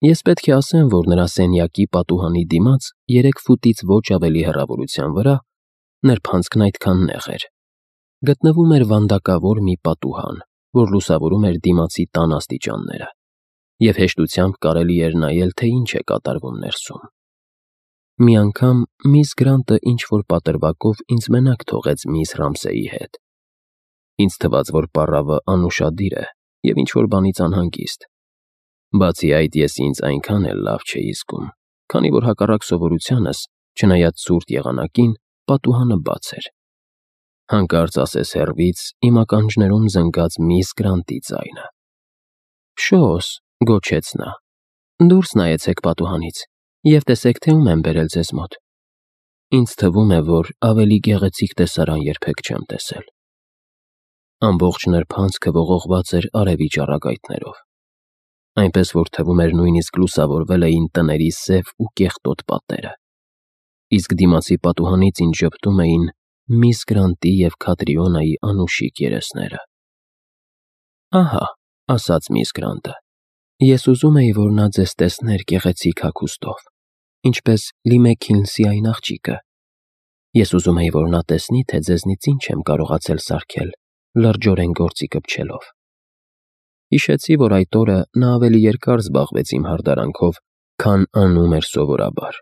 Ես պետք է ասեմ, որ նրա սենյակի պատուհանի դիմաց 3 ֆուտից ոչ ավելի հեռավորության վրա նրբանցքն այդքան նեղ էր։ Գտնվում էր վանդակավոր մի պատուհան, որ լուսավորում էր դիմացի տան աստիճանները, և հեշտությամբ կարելի էր նայել, թե ինչ է կատարվում ներսում։ Մի անգամ միս Գրանտը ինչ-որ պատրվակով ինձ մենակ թողեց միս Ռամսեի հետ։ Ինձ թվաց, որ պառավը անուշադիր է և ինչ-որ բանից անհանգիստ։ Բացի այդ, ես ինձ այնքան էլ լավ չէի զգում, քանի որ հակառակ սովորությանս, չնայած ցուրտ եղանակին, պատուհանը բաց էր։ Հանկարծ ասես հեռվից իմ ականջներում զնգաց միս Գրանտի ձայնը։ «Շոս», գոչեց նա, «դուրս նայեցեք պատուհանից և տեսեք, թե ում եմ բերել ձեզ մոտ»։ Ինձ թվում է, որ ավելի գեղեցիկ տեսարան երբեք չեմ տեսել։ Ամբողջ նրբանցքը ողողված էր արևի ճառագայթներով, այնպես որ թվում էր նույնիսկ լուսավորվել էին տների սև ու կեղտոտ պատերը, իսկ դիմացի պատուհանից ինձ ժպտում էին միս Գրանտի և Քատրիոնայի անուշիկ երեսները։ «Ահա», ասաց միս Գրանտը, «ես ուզում էի, որ նա ձեզ տեսներ գեղեցիկ հագուստով, ինչպես Լիմեքիլնսի այն աղջիկը։ Ես ուզում էի, որ նա տեսնի, թե ձեզնից ինչ եմ կարողացել սարքել լրջորեն գործի կպչելով»։ Հիշեցի, որ այդ օրը նա ավելի երկար զբաղվեց իմ հարդարանքով, քան անում էր սովորաբար,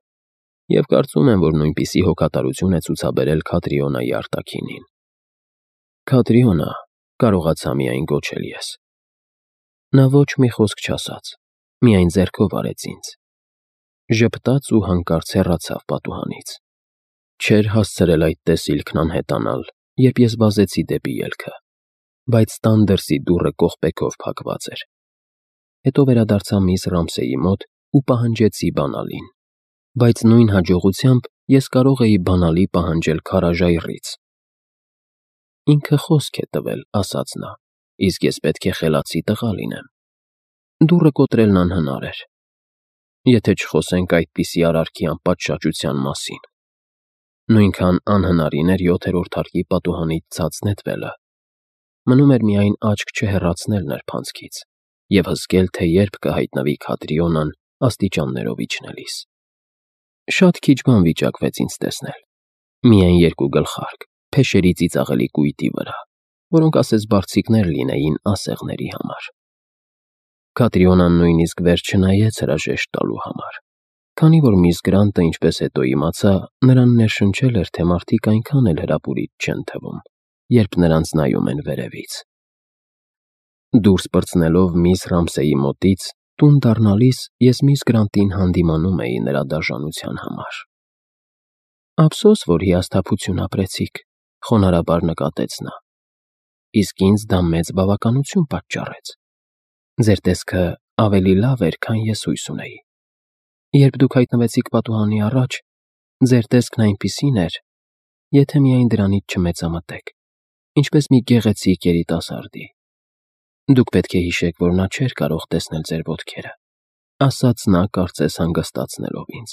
և կարծում եմ, որ նույնպիսի հոգատարություն է ցուցաբերել Քատրիոնայի արտաքինին։ «Քատրիոնա», կարողացա միայն գոչել ես։ Նա ոչ մի խոսք չասաց, միայն ձեռքով արեց ինձ։ Ժպտաց ու հանկարծ հեռացավ պատուհանից։ Չէր հասցրել այդ տեսիլքն անհետանալ, երբ ես վազեցի դեպի ելքը, բայց տան դրսի դուռը կողպեքով փակված էր։ Հետո վերադարձա միս Ռամսեի մոտ ու պահանջեցի բանալին, բայց նույն հաջողությամբ ես կարող էի բանալի պահանջել քարաժայռից։ «Ինքը խոսք է տվել», ասաց նա, «իսկ ես պետք է խելացի տղա լինեմ։ Դուռը կոտրելն անհնար էր, եթե չխոսենք այդպիսի արարքի անպատշաճության մասին։ Նույնքան անհնարին էր 7-րդ հարկի պատուհանից ցած նետվելը։ Մնում էր միայն աչք չհեռացնել նրբանցքից և հզգել, թե երբ կհայտնվի Քատրիոնան աստիճաններով իջնելիս։ Շատ քիչ բան վիճակվեց ինձ տեսնել։ Միայն 2 գլխարկ, փեշերի ծիծաղելի կույտի վրա, որոնք ասես բարձիկներ լինեին ասեղների համար։ Քատրիոնան նույնիսկ վերջ չնայեց հրաժեշտ տալու համար, քանի որ միս Գրանտը, ինչպես հետո իմացա, նրան ներշնչել էր, թե մարդիկ այնքան էլ հրապուրիչ չեն թվում, երբ նրանց նայում են վերևից։ Դուրս պրծնելով միս Ռամսեի մոտից, տուն դառնալիս ես միս Գրանտին հանդիմանում էի նրա դաժանության համար։ «Ափսոս, որ հիասթափություն ապրեցիք», խոնարհաբար նկատեց նա, «իսկ ինձ դա մեծ բավականություն պատճառեց։ Ձեր տեսքը ավելի լավ էր, քան ես հույս ունեի։ Երբ դուք հայտնվեցիք պատուհանի առաջ, ձեր տեսքն այնպիսին էր, եթե միայն դրանից չմեծամտեք, ինչպես մի գեղեցիկ երիտասարդի։ Դուք պետք է հիշեք, որ նա չէր կարող տեսնել ձեր ոտքերը», ասաց նա, կարծես հանգստացնելով ինձ։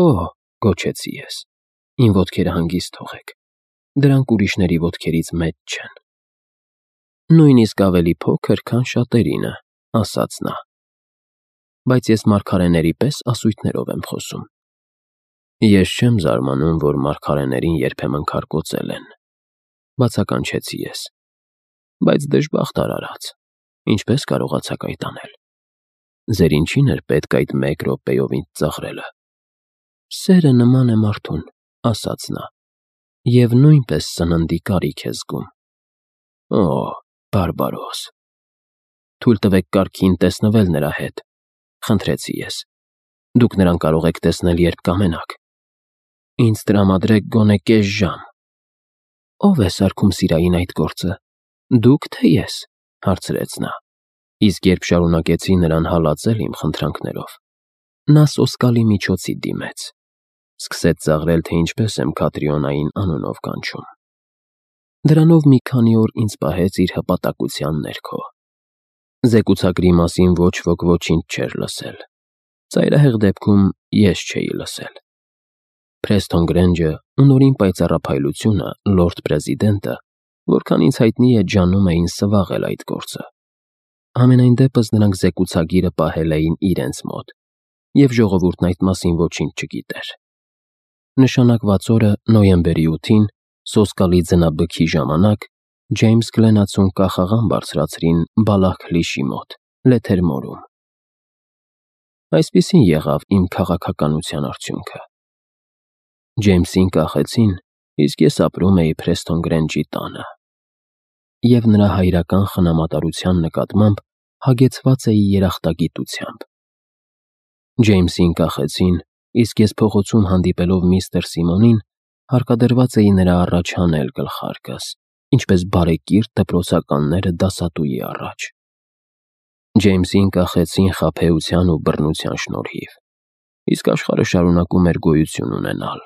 «Օհ», գոչեցի ես, «իմ ոտքերը հանգիստ թողեք, դրանք ուրիշների ոտքերից մեծ չեն»։ «Նույնիսկ ավելի փոքր, քան շատերինը», ասաց նա, «բայց ես մարգարեների պես ասույթներով եմ խոսում»։ «Ես չեմ զարմանում, որ մարգարեներին երբեմն քարկոծել են», բացականչեցի ես, «բայց դժբախտ արարած, ինչպես կարողացաք այդ անել։ Ձեր ինչին էր պետք այդ 1 րոպեով ինձ ծաղրելը»։ «Սերը նման է մարդուն», ասաց նա, «և նույնպես սննդի կարիք է զգում»։ «Օ, բարբարոս»։ «Թույլ տվեք կարգին տեսնվել նրա հետ», խնդրեցի ես։ «Դուք նրան կարող եք տեսնել, երբ կամենաք։ Ինձ տրամադրեք գոնե կես ժամ»։ «Ո՞վ է սարքում սիրային այդ գործը, դուք, թե ես», հարցրեց նա, իսկ երբ շարունակեցի նրան հալածել իմ խնդրանքներով, նա սոսկալի միջոցի դիմեց։ Սկսեց ծաղրել, թե ինչպես եմ Քատրիոնային անունով կանչում։ Դրանով մի քանի օր ինձ պահեց իր հպատակության ներքո։ Զեկուցագրի մասին ոչ ոք ոչինչ չէր լսել։ Ծայրահեղ դեպքում ես չէի լսել։ Փրեսթոն Գրենջը ու նորին պայծառափայլությունը, լորդ պրեզիդենտը, որքան ինձ հայտնի է, ջանում էին սվաղել այդ գործը։ Համենայն դեպս նրանք զեկուցագիրը պահել էին իրենց մոտ, և ժողովուրդն այդ մասին ոչինչ չգիտեր։ Նշանակված օրը նոյեմբերի 8-ին, սոսկալի ձնաբքի ժամանակ, Ջեյմս Գլենացուն կախաղան բարձրացրին Բալախլիշի մոտ, Լեթերմորում։ Այսպիսին եղավ իմ քաղաքականության արդյունքը։ Ջեյմսին կախեցին, իսկ ես ապրում էի Փրեսթոն Գրենջի տանը, և նրա հայրական խնամատարության նկատմամբ հագեցված էի երախտագիտությամբ։ Ջեյմսին կախեցին, իսկ ես փողոցում հանդիպելով միստր Սիմոնին, հարկադրված էի նրա առաջ հանել գլխարկս, ինչպես բարեկիրթ դպրոցականները դասատուի առաջ։ Ջեյմսին կախեցին խաբեության ու բռնության շնորհիվ, իսկ աշխարհը շարունակում էր գոյություն ունենալ,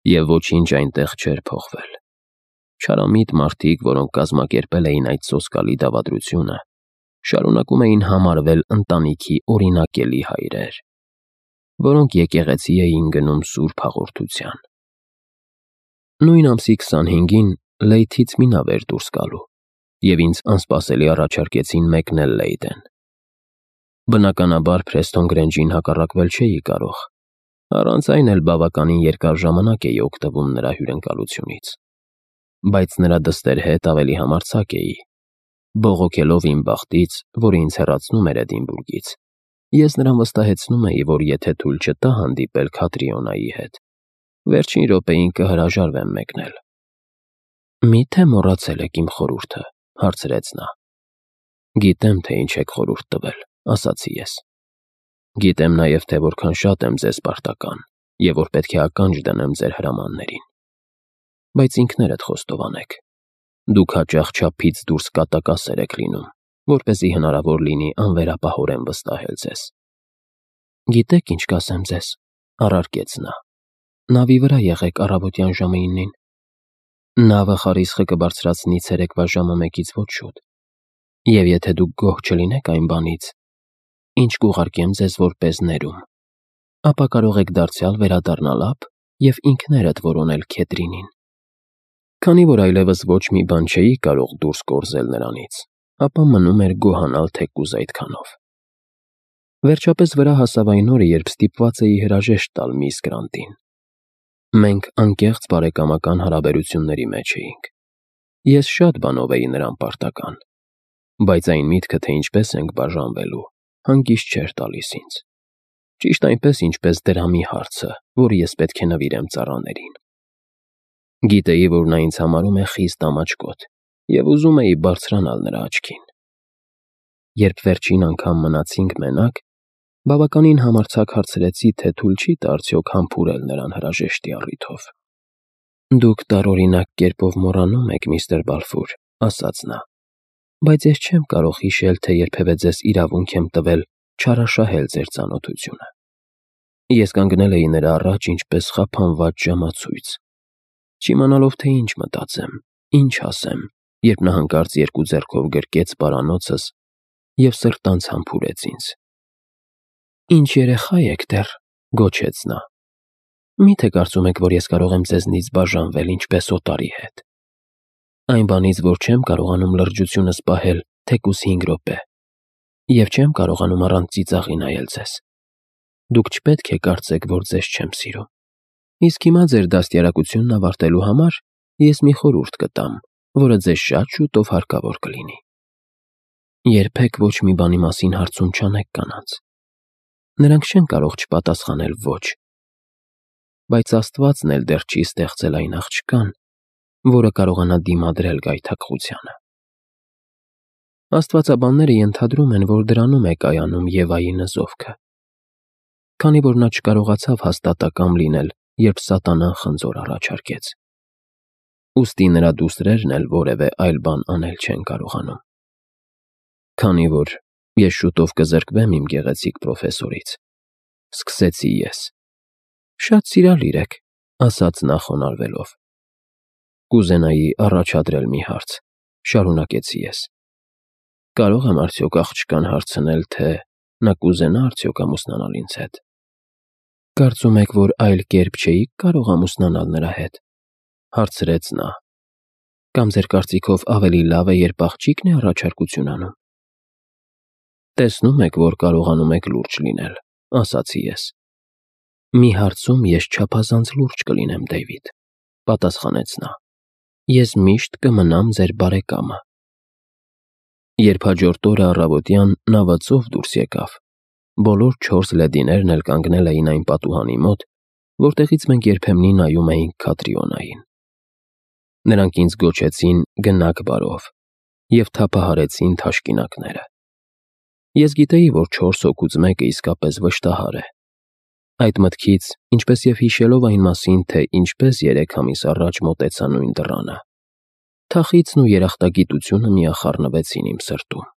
և ոչինչ այնտեղ չէր փոխվել։ Չարամիտ մարդիկ, որոնք կազմակերպել էին այդ սոսկալի դավադրությունը, շարունակում էին համարվել ընտանիքի օրինակելի հայրեր, որոնք եկեղեցի էին գնում սուրբ հաղորդության։ Նույն ամսի 25-ին Լեյթից մի նավ էր դուրս գալու, և ինձ անսպասելի առաջարկեցին մեկնել Լեյդեն։ Բնականաբար Փրեսթոն Գրենջին հակառակվել չէի կարող, առանց այն էլ բավականին երկար ժամանակ էի օգտվում նրա հյուրընկալությունից, բայց նրա դստեր հետ ավելի համարձակ էի, բողոքելով իմ բախտից, որը ինձ հեռացնում էր Էդինբուրգից, ես նրան վստահեցնում էի, որ եթե թույլ չտա հանդիպել Քատրիոնայի հետ, վերջին րոպեին կհրաժարվեմ մեկնել։ «Մի՞թե մոռացել եք իմ խորհուրդը», հարցրեց նա։ «Գիտեմ, թե ինչ եք խորհուրդ տվել», ասացի ես։ «Գիտեմ նաև, թե որքան շատ եմ ձեզ պարտական, և որ պետք է ականջ դնեմ ձեր հրամաններին։ Բայց ինքներդ խոստովանեք, դուք հաճախ չափից դուրս կատակասեր եք լինում, որպեսզի հնարավոր լինի անվերապահորեն վստահել ձեզ»։ «Գիտեք, ինչ կասեմ ձեզ», առարկեց նա։ «Նավի վրա եղեք առավոտյան ժամը 9-ին։ Նավը խարիսխը կբարձրացնի ցերեկվա ժամը 1-ից ոչ շուտ, և եթե դուք գոհ չլինեք այն բանից, ինչ կուղարկեմ ձեզ որպես ներում, ապա կարող եք դարձյալ վերադառնալ ափ և ինքներդ որոնել Քետրինին»։ Քանի որ այլևս ոչ մի բան չէի կարող դուրս կորզել նրանից, ապա մնում էր գոհանալ թեկուզ այդքանով։ Վերջապես վրա հասավ այն օրը, երբ ստիպված էի հրաժեշտ տալ միս Գրանտին։ Մենք անկեղծ բարեկամական հարաբերությունների մեջ էինք։ Ես շատ բանով էի նրան պարտական, բայց այն միտքը, թե ինչպես ենք բաժանվելու, հանգիստ չէր տալիս ինձ։ Ճիշտ այնպես, ինչպես դրամի հարցը, որը ես պետք է նվիրեմ ծառաներին։ Գիտեի, որ նա ինձ համարում է խիստ ամաչկոտ, և ուզում էի բարձրանալ նրա աչքին։ Երբ վերջին անգամ մնացինք մենակ, բավականին համարձակ հարցրեցի, թե թույլ չի տա արդյոք համբուրել նրան հրաժեշտի առիթով։ «Դուք տարօրինակ կերպով մոռանում եք, միստր Բալֆուր», ասաց նա, «բայց ես չեմ կարող հիշել, թե երբևէ ձեզ իրավունք եմ տվել չարաշահել ձեր ծանոթությունը»։ Ես կանգնել էի նրա առաջ ինչպես խափանված ժամացույց, չիմանալով, թե ինչ մտածեմ, ինչ ասեմ, երբ նա հանկարծ երկու ձեռքով գրկեց պարանոցս և սրտանց համբուրեց ինձ։ «Ինչ երեխա եք դեռ», գոչեց նա։ «Մի՞թե կարծում եք, որ ես կարող եմ ձեզնից բաժանվել ինչպես օտարի հետ։ Այն բանից, որ չեմ կարողանում լրջությունս պահել թեկուզ 5 րոպե, և չեմ կարողանում առանց ծիծաղի նայել ձեզ։ Դուք չպետք է կարծեք, որ ձեզ չեմ սիրում։ Իսկ հիմա ձեր դաստիարակությունն ավարտելու համար ես մի խորհուրդ կտամ, որը ձեզ շատ շուտով հարկավոր կլինի։ Երբեք ոչ մի բանի մասին հարցում չանեք կանանց։ Նրանք չեն կարող չպատասխանել ոչ, բայց Աստվածն էլ դեռ չի ստեղծել այն աղջկան, որը կարողանա դիմադրել գայթակղությանը։ Աստվածաբանները ենթադրում են, որ դրանում է կայանում Եվայի նզովքը, քանի որ նա չկարողացավ հաստատակամ լինել, երբ Սատանան խնձոր առաջարկեց։ Ուստի նրա դուստրերն էլ որևէ այլ բան անել չեն կարողանում։ Քանի որ ես շուտով կզրկվեմ իմ գեղեցիկ պրոֆեսորից, սկսեցի ես։ Շատ սիրալիր եք, ասաց նա խոնարհվելով։ Կուզենայի առաջադրել մի հարց, շարունակեցի ես։ Կարող եմ արդյոք աղջկան հարցնել, թե նա կուզենա արդյոք ամուսնանալ ինձ հետ։ Կարծում եք, որ այլ կերպ չէիք կարող ամուսնանալ նրա հետ, հարցրեց նա։ Կամ ձեր կարծիքով ավելի լավ է, երբ աղջիկն է առաջարկություն անում։ Տեսնում եք, որ կարողանում եք լուրջ լինել, ասացի ես։ Մի հարցում ես չափազանց լուրջ կլինեմ, Դեյվիդ, պատասխանեց նա։ Ես միշտ կմնամ ձեր բարեկամը։ Երբ հաջորդ օրը առավոտյան նավը ծով դուրս եկավ, բոլոր 4 լեդիներն էլ կանգնել էին այն պատուհանի մոտ, որտեղից մենք երբեմնի նայում էինք Քատրիոնային։ Նրանք ինձ գոչեցին «Գնաք բարով» և թափահարեցին թաշկինակները։ Ես գիտեի, որ 4 հոգուց մեկը իսկապես վշտահար է։ Այդ մտքից, ինչպես և հիշելով այն մասին, թե ինչպես 3 ամիս առաջ մոտեցա նույն դռանը, թախիծն ու երախտագիտությունը միախառնվեցին իմ սրտում։